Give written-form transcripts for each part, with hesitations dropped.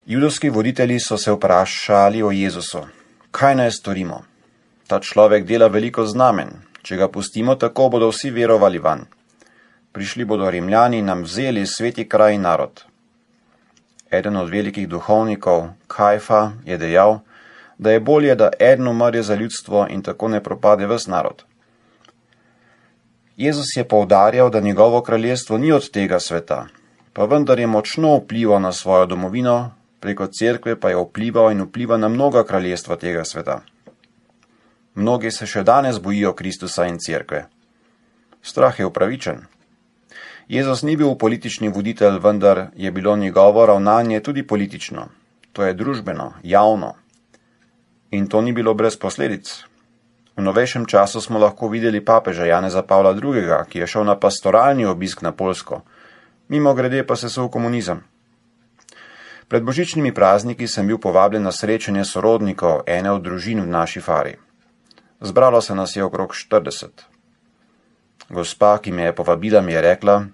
Judovski voditelji so se vprašali o Jezusu. Kaj naj storimo? Ta človek dela veliko znamen. Če ga pustimo tako, bodo vsi verovali vanj. Prišli bodo Rimljani in nam vzeli sveti kraj in narod. Eden od velikih duhovnikov, Kajfa, je dejal, da je bolje, da eden umrje za ljudstvo in tako ne propade ves narod. Jezus je poudarjal, da njegovo kraljestvo ni od tega sveta, pa vendar je močno vplival na svojo domovino, preko cerkve pa je vplival in vpliva na mnoga kraljestva tega sveta. Mnogi se še danes bojijo Kristusa in cerkve. Strah je upravičen. Jezus ni bil politični voditelj, vendar je bilo njegovo ravnanje tudi politično. To je družbeno, javno. In to ni bilo brez posledic. V novejšem času smo lahko videli papeža Janeza Pavla II., ki je šel na pastoralni obisk na Poljsko. Mimogrede pa se v komunizem. Pred božičnimi prazniki sem bil povabljen na srečanje sorodnikov ene od družin v naši fari. Zbralo se nas je okrog 40. Gospa, ki me je povabila, mi je rekla: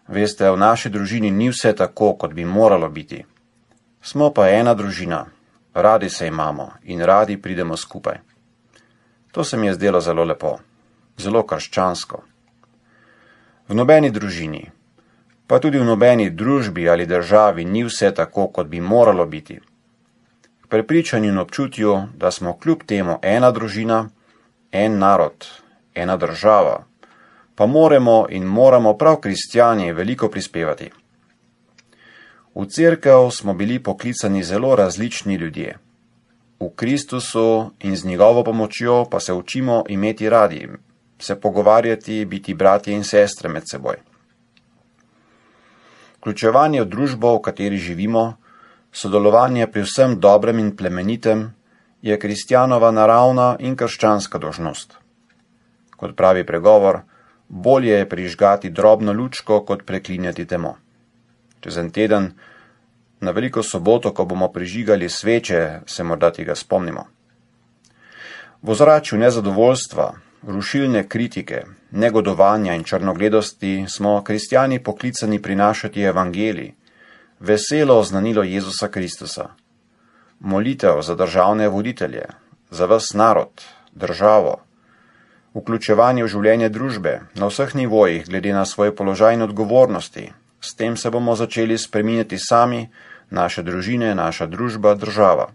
Veste, v naši družini ni vse tako, kot bi moralo biti. Smo pa ena družina, radi se imamo in radi pridemo skupaj. To se mi je zdelo zelo lepo, zelo krščansko. V nobeni družini, pa tudi v nobeni družbi ali državi ni vse tako, kot bi moralo biti. K prepričanju in občutju, da smo kljub temu ena družina, en narod, ena država, pa moramo prav kristjani veliko prispevati. V cerkev smo bili poklicani zelo različni ljudje. V Kristusu in z njegovo pomočjo pa se učimo imeti radi, se pogovarjati, biti bratje in sestre med seboj. Vključevanje v družbo, v kateri živimo, sodelovanje pri vsem dobrem in plemenitem je kristjanova naravna in krščanska dolžnost. Kot pravi pregovor, bolje je prižgati drobno lučko, kot preklinjati temo. Čez en teden, na veliko soboto, ko bomo prižigali sveče, se morda tega spomnimo. V ozračju nezadovoljstva, rušilne kritike, negodovanja in črnogledosti smo kristjani poklicani prinašati evangelij, veselo oznanilo Jezusa Kristusa, molitev za državne voditelje, za ves narod, državo, vključevanje v življenje družbe na vseh nivojih glede na svoj položaj in odgovornosti. S tem se bomo začeli spreminjati sami, naše družine, naša družba, država.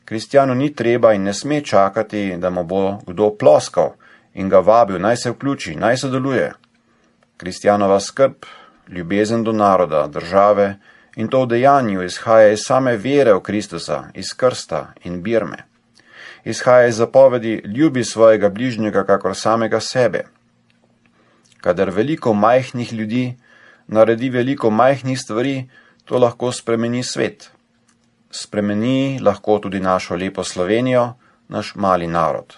Kristjanu ni treba in ne sme čakati, da mu bo kdo ploskal in ga vabil, naj se vključi, naj sodeluje. Kristjanova skrb, ljubezen do naroda, države in to v dejanju izhaja iz same vere v Kristusa, iz krsta in birme. Izhaja iz zapovedi, ljubi svojega bližnjega kakor samega sebe. Kadar veliko majhnih ljudi naredi veliko majhnih stvari, to lahko spremeni svet. Spremeni lahko tudi našo lepo Slovenijo, naš mali narod.